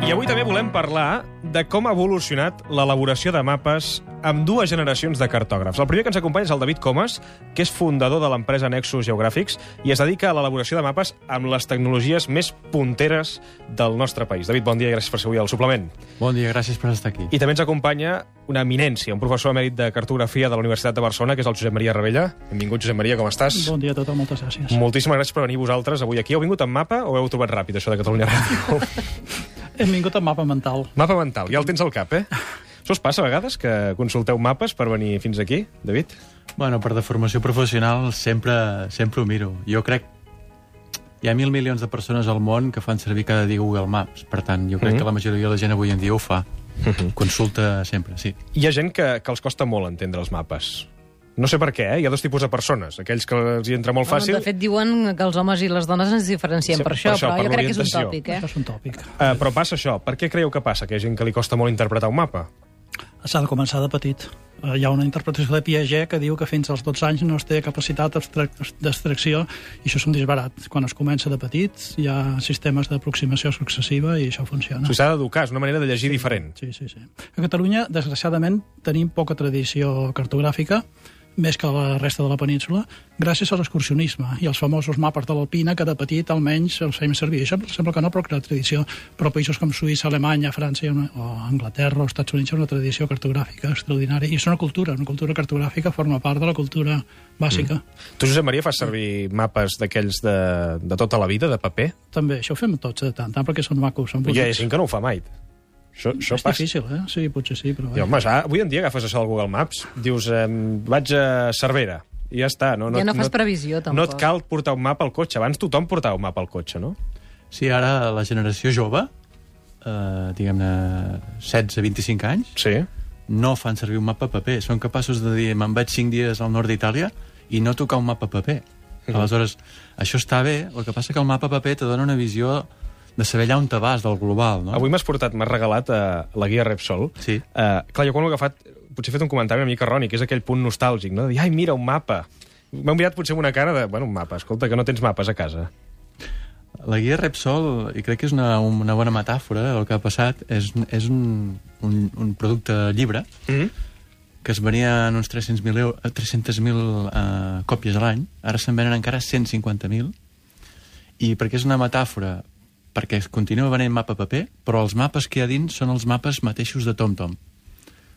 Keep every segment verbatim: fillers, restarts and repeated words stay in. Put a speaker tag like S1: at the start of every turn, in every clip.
S1: I avui també volem parlar de com ha evolucionat l'elaboració de mapes amb dues generacions de cartògrafs. El primer que ens acompanya és el David Comas, que és fundador de l'empresa Nexus Geogràfics i es dedica a l'elaboració de mapes amb les tecnologies més punteres del nostre país. David, bon dia i gràcies per ser avui al suplement.
S2: Bon dia, gràcies per estar aquí.
S1: I també ens acompanya una eminència, un professor emèrit de cartografia de la Universitat de Barcelona, que és el Josep Maria Ravella. Benvingut, Josep Maria, com estàs?
S3: Bon dia a tothom, moltes gràcies.
S1: Moltíssimes gràcies per venir vosaltres avui aquí. Heu vingut amb mapa o heu trobat ràpid, això de Catalunya Ràdio?
S3: Hem vingut amb mapa mental.
S1: Mapa mental, ja el tens al cap, eh? Això us passa a vegades, que consulteu mapes per venir fins aquí, David?
S2: Bueno, per deformació professional sempre, sempre ho miro. Jo crec hi ha mil milions de persones al món que fan servir cada dia Google Maps. Per tant, jo crec mm-hmm. que la majoria de la gent avui en dia ho fa. Mm-hmm. Consulta sempre, sí.
S1: Hi ha gent que, que els costa molt entendre els mapes. No sé per què, eh? Hi ha dos tipus de persones. Aquells que els hi entra molt fàcil...
S4: Bueno, de fet, diuen que els homes i les dones ens diferenciem sí, per, això, per això, però per jo crec que és un tòpic, eh?
S3: Això és un tòpic.
S1: Uh, però passa això. Per què creieu que passa? Que hi ha gent que li costa molt interpretar un mapa?
S3: S'ha de començar de petit. Uh, hi ha una interpretació de Piaget que diu que fins als dotze anys no es té capacitat d'abstracció i això és un disbarat. Quan es comença de petit hi ha sistemes d'aproximació successiva i això funciona.
S1: O sigui, s'ha d'educar, és una manera de llegir
S3: sí,
S1: diferent.
S3: Sí, sí, sí. A Catalunya, desgraciadament, tenim poca tradició cartogràfica, més que la resta de la península, gràcies a l'excursionisme i als famosos mapes de l'Alpina, que de petit almenys els feim servir. Això sembla que no, però que la tradició, però països com Suïssa, Alemanya, França, o Anglaterra o Estats Units, és una tradició cartogràfica extraordinària. I és una cultura, una cultura cartogràfica forma part de la cultura bàsica.
S1: Mm. Tu, Josep Maria, fas servir mapes d'aquells de, de tota la vida, de paper?
S3: També, això ho fem tots de tant, tant perquè són macos, són bonics.
S1: Hi ha gent que no ho fa mai. Això, això
S3: és
S1: passa.
S3: difícil, eh? Sí, potser sí, però...
S1: I, home, ja, avui en dia agafes això del Google Maps, dius, eh, vaig a Cervera, i ja està. No, no,
S4: ja no fas
S1: no,
S4: previsió, tampoc.
S1: No et cal portar un mapa al cotxe. Abans tothom portava un mapa al cotxe, no?
S2: Sí, ara la generació jove, eh, diguem-ne, setze a vint-i-cinc anys,
S1: sí.
S2: no fan servir un mapa a paper. Són capaços de dir, me'n vaig cinc dies al nord d'Itàlia i no tocar un mapa a paper. Mm-hmm. Aleshores, això està bé, el que passa que el mapa a paper te dona una visió de saber allà on te vas, del global, no?
S1: Avui m'has portat, m'has regalat uh, la guia Repsol.
S2: Sí.
S1: Uh, clar, jo quan l'he agafat, potser he fet un comentari una mica erroni, que és aquell punt nostàlgic, no? De dir, ai, mira, un mapa. M'ha mirat potser amb una cara de, bueno, un mapa, escolta, que no tens mapes a casa.
S2: La guia Repsol, i crec que és una, una bona metàfora, el que ha passat, és, és un, un, un producte llibre, mm-hmm. que es venia en uns tres cents mil uh, còpies a l'any, ara se'n venen encara cent cinquanta mil, i perquè és una metàfora perquè es continua venent mapa a paper, però els mapes que hi ha dins són els mapes mateixos de TomTom.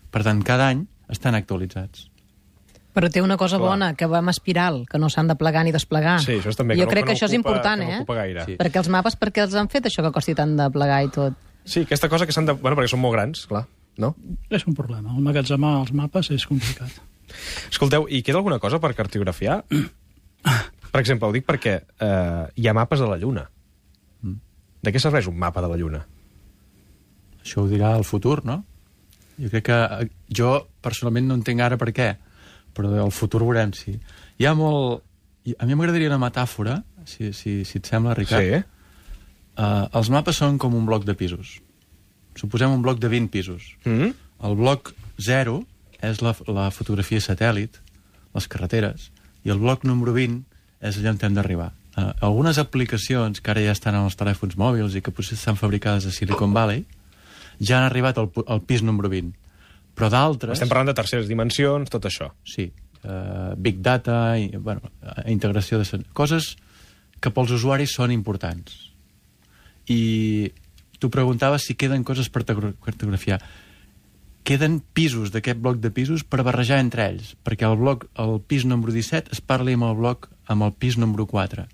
S2: Per tant, cada any estan actualitzats.
S4: Però té una cosa Clar. bona, que va amb espiral, que no s'han de plegar ni desplegar.
S1: Sí, això és també.
S4: Jo
S1: que
S4: crec
S1: no,
S4: que,
S1: que no
S4: això
S1: ocupa,
S4: és important,
S1: que no ocupa
S4: eh?
S1: gaire.
S4: Sí. Perquè els mapes, per què els han fet, això que costi tant de plegar i tot?
S1: Sí, aquesta cosa que s'han de... Bueno, perquè són molt grans, clar, no?
S3: És un problema. El magatzemar els mapes és complicat.
S1: Escolteu, i queda alguna cosa per cartografiar? Per exemple, ho dic perquè eh, hi ha mapes de la Lluna. De què serveix un mapa de la Lluna?
S2: Això ho dirà el futur, no? Jo crec que... Jo, personalment, no entenc ara per què, però el futur veurem si... Hi ha molt... A mi m'agradaria una metàfora, si, si, si et sembla, Ricard.
S1: Sí.
S2: Uh, els mapes són com un bloc de pisos. Suposem un bloc de vint pisos.
S1: Mm-hmm.
S2: El bloc zero és la, la fotografia satèl·lit, les carreteres, i el bloc número vint és allà on hem d'arribar. Uh, algunes aplicacions que ara ja estan en els telèfons mòbils i que potser estan fabricades a Silicon Valley ja han arribat al, al pis número vint. Però d'altres...
S1: Estem parlant de terceres dimensions, tot això.
S2: Sí. Uh, big data, i, bueno, integració de... Coses que pels usuaris són importants. I tu preguntaves si queden coses per cartografiar. Queden pisos d'aquest bloc de pisos per barrejar entre ells, perquè el bloc, el pis número disset es parli amb el bloc amb el pis número quatre.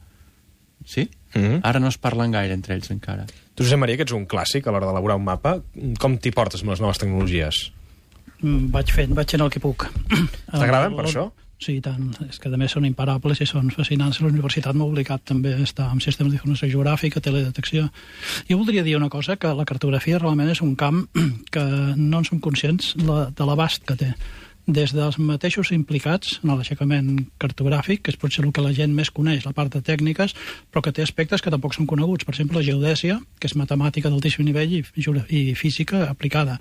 S2: Sí? Mm-hmm. Ara no es parlen gaire entre ells encara.
S1: Tu, Josep Maria, que ets un clàssic a l'hora d'elaborar un mapa, com t'hi portes amb les noves tecnologies?
S3: Mm, vaig fent, vaig fent el que puc.
S1: T'agraden per això?
S3: Sí, tant. És que a més són imparables i són fascinants. La universitat m'ha obligat també a estar amb sistemes d'informació geogràfica, teledetecció. Jo voldria dir una cosa, que la cartografia realment és un camp que no en som conscients de l'abast que té. Des dels mateixos implicats en l'aixecament cartogràfic, que és potser el que la gent més coneix, la part de tècniques, però que té aspectes que tampoc són coneguts. Per exemple, la geodèsia, que és matemàtica d'altíssim nivell i, i física aplicada.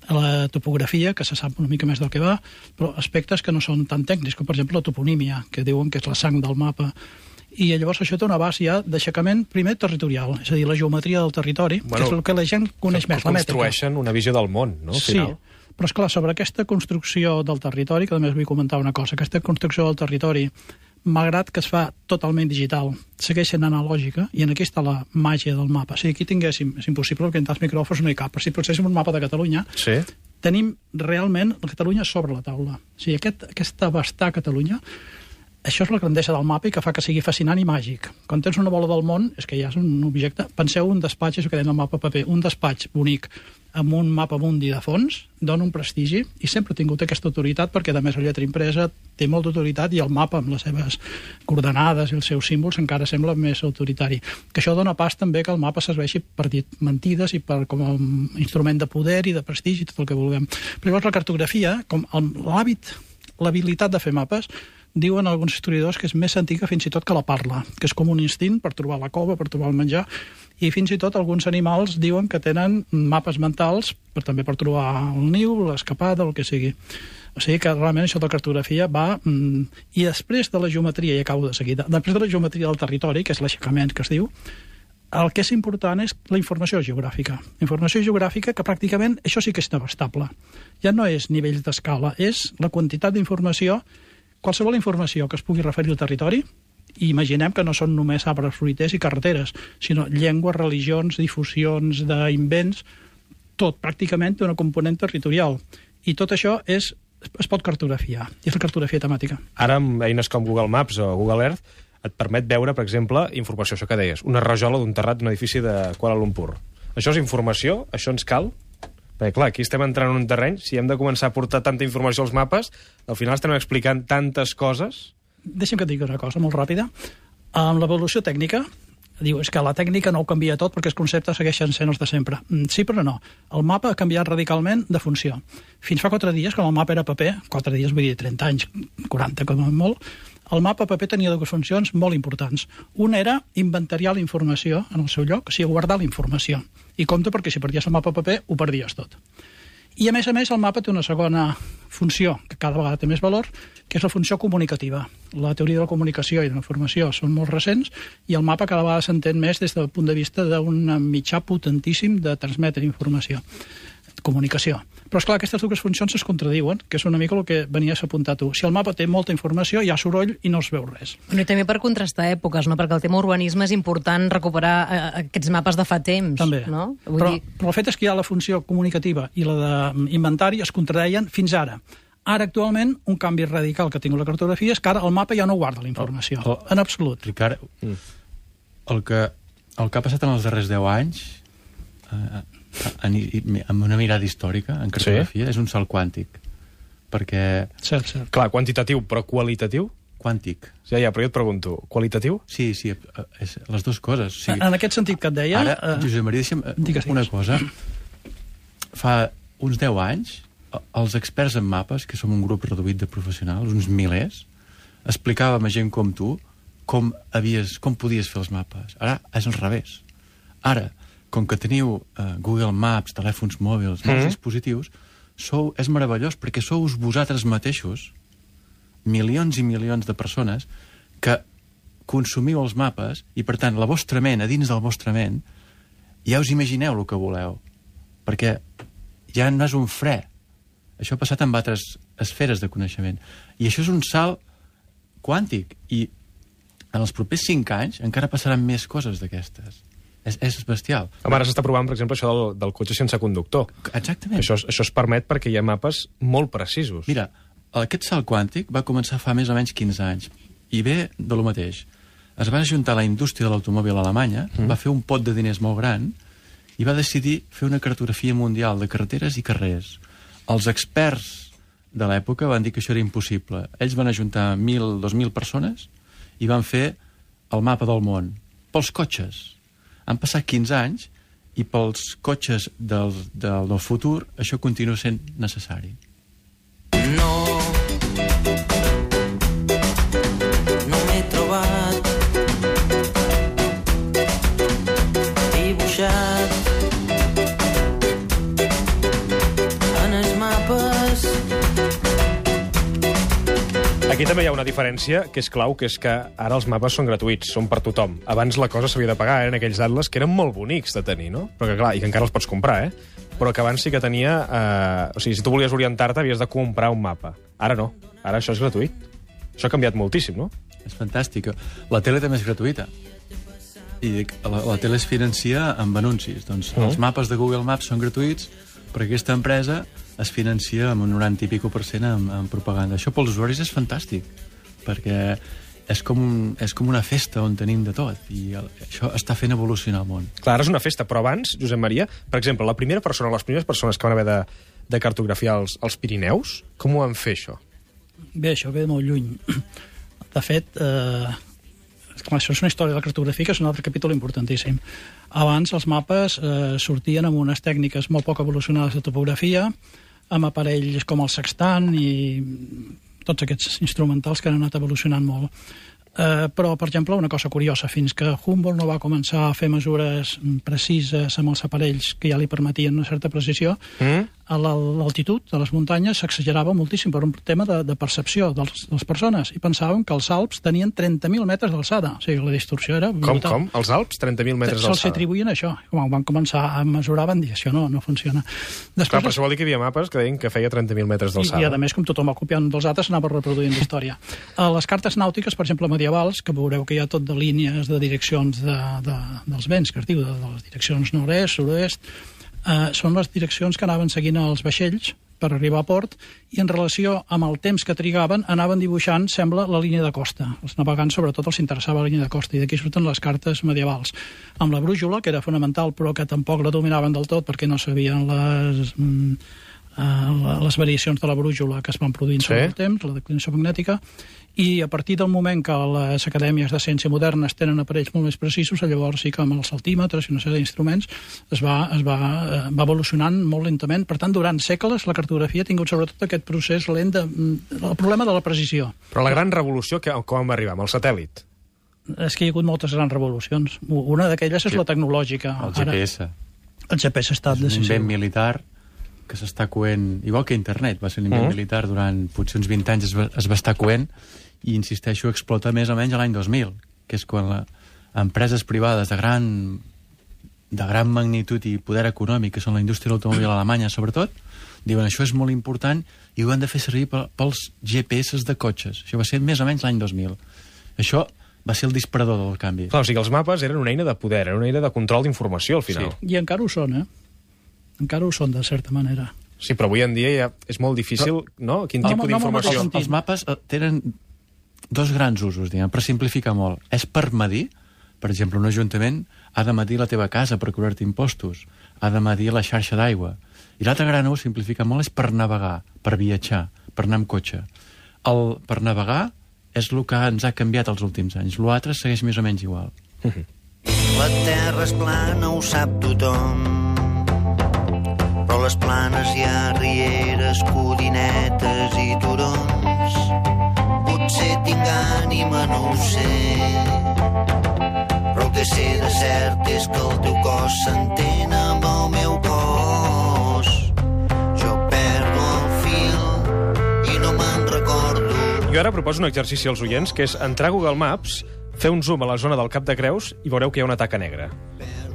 S3: La topografia, que se sap una mica més del que va, però aspectes que no són tan tècnics, com per exemple la toponímia, que diuen que és la sang del mapa. i llavors això té una base ja d'aixecament primer territorial, és a dir, la geometria del territori, bueno, que és el que la gent coneix més, la mètrica.
S1: Construeixen una visió del món, no? Al final.
S3: Sí, però esclar, sobre aquesta construcció del territori, que també us vull comentar una cosa, aquesta construcció del territori, malgrat que es fa totalment digital, segueix sent analògica, i en aquí està la màgia del mapa. Si aquí tinguéssim, és impossible, perquè entre els micròfons no hi cap, però si poséssim un mapa de Catalunya,
S1: sí,
S3: tenim realment la Catalunya sobre la taula. O sigui, aquest, aquesta abastar Catalunya, això és la grandesa del mapa i que fa que sigui fascinant i màgic. Quan tens una bola del món, és que ja és un objecte... Penseu un despatx, això que deien el mapa paper, un despatx bonic amb un mapa mundi de fons, dona un prestigi, i sempre ha tingut aquesta autoritat, perquè a més la lletra impresa té molta autoritat i el mapa amb les seves coordenades i els seus símbols encara sembla més autoritari. Que això dona pas també que el mapa serveixi per dir mentides i per, com a instrument de poder i de prestigi, tot el que vulguem. Però llavors la cartografia, com l'hàbit, l'habilitat de fer mapes, diuen alguns historiadors que és més antiga fins i tot que la parla, que és com un instint per trobar la cova, per trobar el menjar, i fins i tot alguns animals diuen que tenen mapes mentals per, també per trobar el niu, l'escapada, el que sigui. O sigui que realment això de la cartografia va... Mm, i després de la geometria, i acabo de seguida, després de la geometria del territori, que és l'aixecament que es diu, el que és important és la informació geogràfica. Informació geogràfica que pràcticament això sí que és abastable. Ja no és nivells d'escala, és la quantitat d'informació, qualsevol informació que es pugui referir al territori, i imaginem que no són només arbres fruiters i carreteres, sinó llengües, religions, difusions d'invents, tot pràcticament té una component territorial. I tot això és, es pot cartografiar, i és la cartografia temàtica.
S1: Ara, amb eines com Google Maps o Google Earth, et permet veure, per exemple, informació, això que deies, una rajola d'un terrat d'un edifici de Kuala Lumpur. Això és informació? Això ens cal? Perquè, clar, aquí estem entrant en un terreny, si hem de començar a portar tanta informació als mapes, al final estem explicant tantes coses...
S3: Deixa'm que et digui una cosa molt ràpida. Amb l'evolució tècnica, diu, és que la tècnica no ho canvia tot perquè els conceptes segueixen sent els de sempre. Sí, però no. El mapa ha canviat radicalment de funció. Fins fa quatre dies, quan el mapa era paper, quatre dies vull dir trenta anys, quaranta com a molt, el mapa paper tenia dues funcions molt importants. Una era inventariar la informació en el seu lloc, o sigui, guardar la informació. I compte perquè si perdies el mapa paper ho perdies tot. I a més a més el mapa té una segona funció, que cada vegada té més valor, que és la funció comunicativa. La teoria de la comunicació i de la informació són molt recents i el mapa cada vegada s'entén més des del punt de vista d'un mitjà potentíssim de transmetre informació, comunicació. Però, esclar, aquestes dues funcions es contradiuen, que és una mica el que venies a apuntar tu. Si el mapa té molta informació, hi ha soroll i no es veu res.
S4: I també per contrastar èpoques, no? Perquè el tema urbanisme és important recuperar eh, aquests mapes de fa temps.
S3: També.
S4: No? Vull
S3: però,
S4: dir...
S3: però el fet és que hi ha la funció comunicativa i la d'inventari es contradeien fins ara. Ara, actualment, un canvi radical que ha tingut la cartografia és que ara el mapa ja no guarda la informació, oh, oh, en absolut.
S2: Ricard, mm. el, que, el que ha passat en els darrers deu anys... Eh, amb una mirada històrica en cartografia, sí? És un salt quàntic, perquè...
S3: Cert, cert.
S1: Clar, quantitatiu, però qualitatiu?
S2: Quàntic.
S1: Ja, ja, però jo et pregunto, qualitatiu?
S2: Sí, sí, és les dues coses. O sigui,
S3: en aquest sentit que et deia...
S2: Ara, uh, Josep Maria, deixa'm digues, una digues. cosa. Fa uns deu anys, els experts en mapes, que som un grup reduït de professionals, uns milers, explicàvem a gent com tu com, havies, com podies fer els mapes. Ara és al revés. Ara, com que teniu uh, Google Maps, telèfons mòbils, molts mm. dispositius, sou, és meravellós perquè sou vosaltres mateixos, milions i milions de persones, que consumiu els mapes i, per tant, la vostra ment, a dins del vostre ment, ja us imagineu el que voleu. Perquè ja no és un fre. Això ha passat amb altres esferes de coneixement. I això és un salt quàntic. I en els propers cinc anys encara passaran més coses d'aquestes. És, és bestial.
S1: Ara s'està provant, per exemple, això del, del cotxe sense conductor.
S2: Exactament.
S1: Això, això es permet perquè hi ha mapes molt precisos.
S2: Mira, aquest salt quàntic va començar fa més o menys quinze anys. I ve de lo mateix. Es va ajuntar la indústria de l'automòbil alemanya, mm. va fer un pot de diners molt gran i va decidir fer una cartografia mundial de carreteres i carrers. Els experts de l'època van dir que això era impossible. Ells van ajuntar mil, dos mil persones i van fer el mapa del món. Pels cotxes. Han passat quinze anys i pels cotxes del, del, del futur això continua sent necessari. No, no m'he trobat dibuixat
S1: Aquí també també hi ha una diferència que és clau, que és que ara els mapes són gratuïts, són per tothom. Abans la cosa s'havia de pagar, eren aquells atles que eren molt bonics de tenir, no? Però que, clar, i que encara els pots comprar, eh? Però que abans sí que tenia... Eh... O sigui, si tu volies orientar-te, havies de comprar un mapa. Ara no. Ara això és gratuït. Això ha canviat moltíssim, no?
S2: És fantàstic. La tele també és gratuïta. I dic, la, la tele es financia amb anuncis. Doncs mm. els mapes de Google Maps són gratuïts, però aquesta empresa es financia amb un noranta i pico per cent amb, amb propaganda. Això pels usuaris és fantàstic, perquè és com, un, és com una festa on tenim de tot, i el, això està fent evolucionar el món.
S1: Clar, ara és una festa, però abans, Josep Maria, per exemple, la primera persona, les primeres persones que van haver de, de cartografiar els, els Pirineus, com ho van fer, això?
S3: Bé, això ve de molt lluny. De fet, eh, clar, això és una història de la cartografia, que és un altre capítol importantíssim. Abans els mapes eh, sortien amb unes tècniques molt poc evolucionades de topografia, amb aparells com el sextant i tots aquests instrumentals que han anat evolucionant molt. Eh, però, per exemple, una cosa curiosa, fins que Humboldt no va començar a fer mesures precises amb els aparells que ja li permetien una certa precisió, mm. a l'altitud de les muntanyes s'exagerava moltíssim per un tema de, de percepció de les, de les persones, i pensaven que els Alps tenien trenta mil metres d'alçada. O sigui, la distorsió era brutal.
S1: Com, com? Els Alps, trenta mil metres d'alçada?
S3: Se'ls atribuïen això. Quan van començar a mesurar van dir, això no, no funciona.
S1: Després, clar, per això vol dir que hi havia mapes que deien que feia trenta mil metres d'alçada.
S3: I, I, a més, com tothom va copiant dels altres, s'anava reproduint la història. A les cartes nàutiques, per exemple, medievals, que veureu que hi ha tot de línies de direccions de, de, dels vents, que es diu, de, de les direccions nord-est, sud-oest, eh, són les direccions que anaven seguint els vaixells per arribar a port, i en relació amb el temps que trigaven anaven dibuixant, sembla, la línia de costa. Els navegants, sobretot, els interessava la línia de costa, i d'aquí surten les cartes medievals. Amb la brújula, que era fonamental, però que tampoc la dominaven del tot perquè no sabien les... Mm, Uh, les variacions de la brújula que es van produint sobre sí. el temps, la declinació magnètica, i a partir del moment que les acadèmies de ciència modernes tenen aparells molt més precisos, llavors sí que amb els altímetres i una sèrie d'instruments es, va, es va, uh, va evolucionant molt lentament. Per tant, durant segles la cartografia ha tingut sobretot aquest procés lent de, el problema de la precisió.
S1: Però la gran revolució, que, com vam arribar? Amb el satèl·lit?
S3: És que hi ha hagut moltes grans revolucions. Una d'aquelles és sí. la tecnològica.
S2: El G P S.
S3: Ara, el G P S ha estat decisiu.
S2: Un invent militar que s'està coent, igual que internet, va ser un invent mm. militar durant potser uns vint anys, es va, es va estar coent, i insisteixo, explota més o menys l'any dos mil, que és quan la, empreses privades de gran, de gran magnitud i poder econòmic, que són la indústria de l'automòbil alemanya, sobretot, diuen això és molt important i ho han de fer servir pels G P S de cotxes. Això va ser més o menys l'any dos mil. Això va ser el disparador del canvi.
S1: Clar, o sigui, els mapes eren una eina de poder, eren una eina de control d'informació, al final.
S3: Sí. I encara ho són, eh? Encara ho són, de certa manera.
S1: Sí, però avui en dia ja és molt difícil, però, no? Quin no, tipus no, d'informació...
S2: Els, els mapes tenen dos grans usos, diguem, per simplificar molt. És per medir, per exemple, un ajuntament ha de medir la teva casa per cobrar-te impostos, ha de medir la xarxa d'aigua. I l'altre gran ús, simplifica molt, és per navegar, per viatjar, per anar amb cotxe. El, per navegar és el que ens ha canviat els últims anys. L'altre segueix més o menys igual.
S5: La terra és plana, ho sap tothom, però les planes hi ha rieres, codinetes i turons. Potser tinc ànima, no ho sé, però el que sé de cert és que el teu cos s'entén amb el meu cos. Jo perdo el fil i no me'n recordo.
S1: Jo ara proposo un exercici als oients, que és entrar a Google Maps, fer un zoom a la zona del Cap de Creus i veureu que hi ha una taca negra.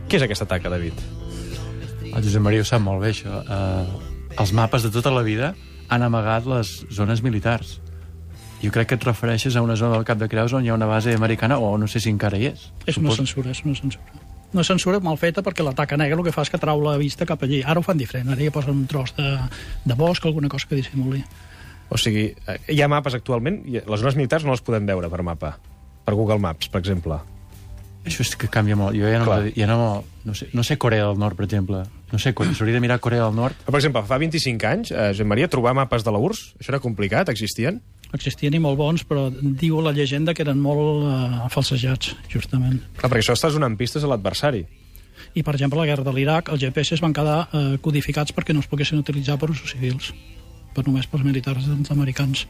S1: Què és aquesta taca, David?
S2: El Josep Maria ho sap molt bé, això. Uh, els mapes de tota la vida han amagat les zones militars. Jo crec que et refereixes a una zona del Cap de Creus on hi ha una base americana, o no sé si encara hi és.
S3: És una censura, és una censura. Una censura mal feta perquè la taca negra el que fa és que trau la vista cap allí. Ara ho fan diferent, ara ja posen un tros de, de bosc, alguna cosa que dissimuli.
S1: O sigui, hi ha mapes actualment, i les zones militars no les podem veure per mapa, per Google Maps, per exemple.
S2: Això és que canvia molt. Jo ja no, ja no, no, sé, no sé Corea del Nord, per exemple. No sé, s'hauria de mirar Corea del Nord.
S1: Per exemple, fa vint-i-cinc anys, eh, Josep Maria, trobar mapes de la U R S S, això era complicat? Existien?
S3: Existien i molt bons, però diu la llegenda que eren molt uh, falsejats, justament.
S1: Clar, perquè això estàs donant pistes a l'adversari.
S3: I, per exemple, la guerra de l'Iraq, els G P S van quedar uh, codificats perquè no es poguessin utilitzar per usos civils, per només pels militars americans.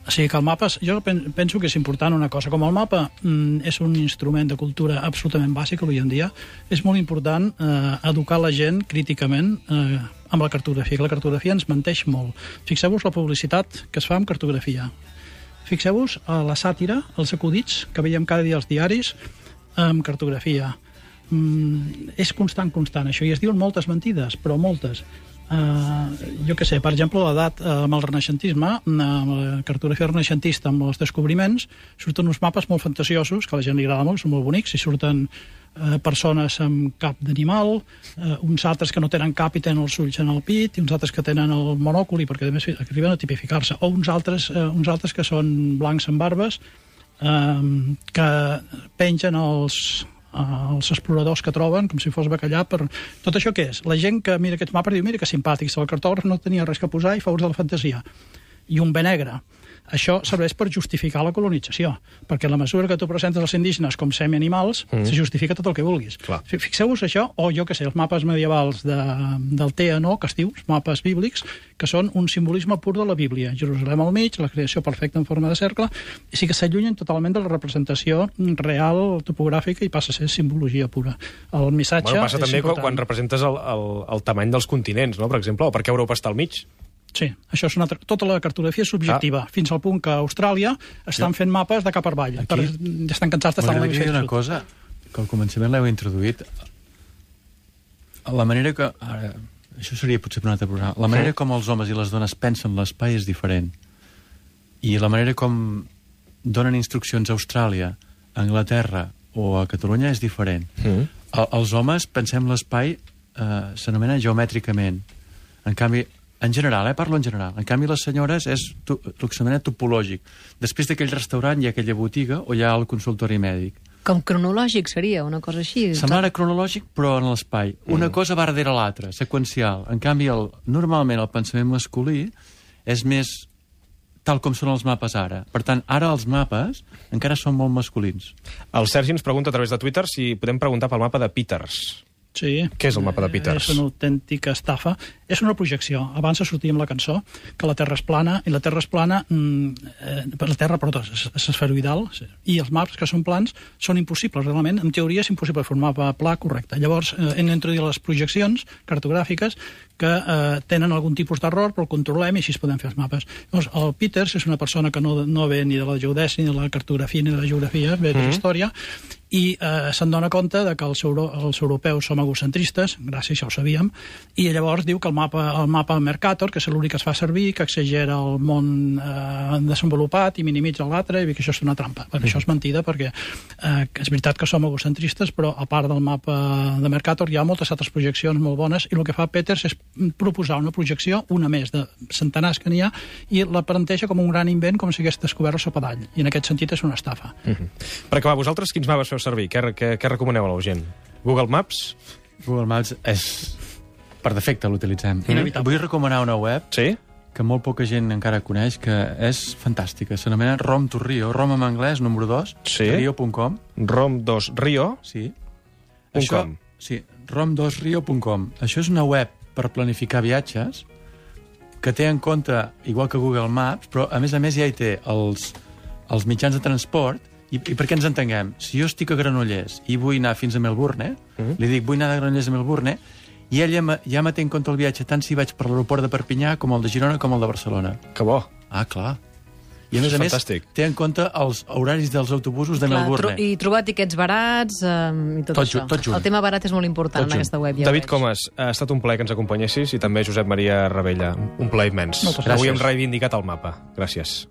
S3: O sigui que el mapa, jo penso que és important una cosa, com el mapa mm, és un instrument de cultura absolutament bàsic avui en dia, és molt important eh, educar la gent críticament eh, amb la cartografia, que la cartografia ens menteix molt. Fixeu-vos la publicitat que es fa amb cartografia. Fixeu-vos a la sàtira, els acudits que veiem cada dia als diaris amb cartografia. Mm, és constant, constant, això, i es diuen moltes mentides, però moltes. Uh, jo què sé, per exemple, l'edat uh, amb el renaixentisme, amb la cartografia renaixentista, amb els descobriments, surten uns mapes molt fantasiosos, que a la gent li agrada molt, són molt bonics, i surten uh, persones amb cap d'animal, uh, uns altres que no tenen cap i tenen els ulls en el pit, i uns altres que tenen el monòculi, perquè a més arriben a tipificar-se, o uns altres, uh, uns altres que són blancs amb barbes, uh, que pengen els... els exploradors que troben, com si fos bacallà, per... Tot això què és? La gent que mira aquests mapes diu, mira que simpàtics, el cartògraf no tenia res que posar i fa ús de la fantasia. I un bé negre. Això serveix per justificar la colonització, perquè a la mesura que tu presentes els indígenes com semi-animals, mm. se justifica tot el que vulguis.
S1: Clar.
S3: Fixeu-vos això, o jo què sé, els mapes medievals de, del T N O, que es diu, els mapes bíblics, que són un simbolisme pur de la Bíblia. Jerusalem al mig, la creació perfecta en forma de cercle, i sí que s'allunyen totalment de la representació real, topogràfica, i passa a ser simbologia pura. El missatge...
S1: Bueno, passa també
S3: important.
S1: quan representes el, el, el tamany dels continents, no? Per exemple, o per què Europa està al mig.
S3: Sí, això és una altra... tota la cartografia és subjectiva, ah. fins al punt que a Austràlia estan jo... fent mapes de cap per avall. Per... Estan cansats d'estar en l'hemisferi
S2: sud. Una
S3: sud.
S2: cosa, que al començament l'heu introduït, la manera que... Ara, això seria potser per un altre programa. La manera com els homes i les dones pensen l'espai és diferent. I la manera com donen instruccions a Austràlia, a Anglaterra o a Catalunya és diferent. Mm. El, els homes pensem l'espai, eh, s'anomena geomètricament. En canvi, en general, eh? Parlo en general. En canvi, les senyores és tu, el que s'anomena topològic. Després d'aquell restaurant hi ha aquella botiga o hi ha el consultori mèdic.
S4: Com cronològic seria, una cosa així.
S2: Semblant a cronològic, però en l'espai. Una mm. cosa va darrere l'altra, seqüencial. En canvi, el, normalment el pensament masculí és més tal com són els mapes ara. Per tant, ara els mapes encara són molt masculins.
S1: El Sergi ens pregunta a través de Twitter si podem preguntar pel mapa de Peters.
S3: Sí.
S1: Què és el mapa de Peters?
S3: És una autèntica estafa. És una projecció. Abans sortia amb la cançó que la Terra és plana, i la Terra és plana, eh, la Terra, perdó, és, és esferoidal, i els maps que són plans són impossibles, realment. En teoria és impossible fer un mapa pla correcte. Llavors, eh, hem d'introduir les projeccions cartogràfiques que eh, tenen algun tipus d'error, però el controlem i així es poden fer els mapes. Llavors, el Peters és una persona que no, no ve ni de la geodèsia, ni de la cartografia, ni de la geografia, ve de la història, i eh, se'n dona compte de que els, euro, els europeus som egocentristes, gràcies, ja ho sabíem, i llavors diu que el mapa, el mapa Mercator, que és l'únic que es fa servir, que exagera el món eh, desenvolupat i minimitza l'altre, i que això és una trampa. Però això és mentida, perquè eh, és veritat que som egocentristes, però a part del mapa de Mercator hi ha moltes altres projeccions molt bones, i el que fa Peters és proposar una projecció, una més de centenars que n'hi ha, i la planteja com un gran invent, com si hagués descobert el sopadall, i en aquest sentit és una estafa.
S1: Mm-hmm. Per acabar, vosaltres quins mapes feu servir? Què, què, què recomaneu a la gent? Google Maps?
S2: Google Maps és... per defecte l'utilitzem.
S3: Inevitable.
S2: Vull recomanar una web
S1: sí?
S2: que molt poca gent encara coneix, que és fantàstica. S'anomena Rom to Rio. Rom en anglès, número dos,
S1: sí?
S2: rio punt com.
S1: Rom dos Rio?
S2: Sí.
S1: Això, com?
S2: Sí, rom dos rio punt com. Això és una web per planificar viatges que té en compte, igual que Google Maps, però a més a més ja hi té els, els mitjans de transport. I, I per què ens entenguem? Si jo estic a Granollers i vull anar fins a Melbourne, mm-hmm. li dic vull anar de Granollers a Melbourne, i ell ja, ja me té en compte el viatge tant si vaig per l'aeroport de Perpinyà com el de Girona com el de Barcelona.
S1: Que bo.
S2: Ah, clar. I a més a més té en compte els horaris dels autobusos de clar, Melbourne.
S4: Tro I trobar tiquets barats um, i tot,
S2: tot
S4: això.
S2: Tot junt.
S4: El tema barat és molt important tot en aquesta web. Ja
S1: David Comas, ha estat un plaer que ens acompanyessis, i també Josep Maria Ravella. Un plaer immens. Avui hem reivindicat el mapa. Gràcies.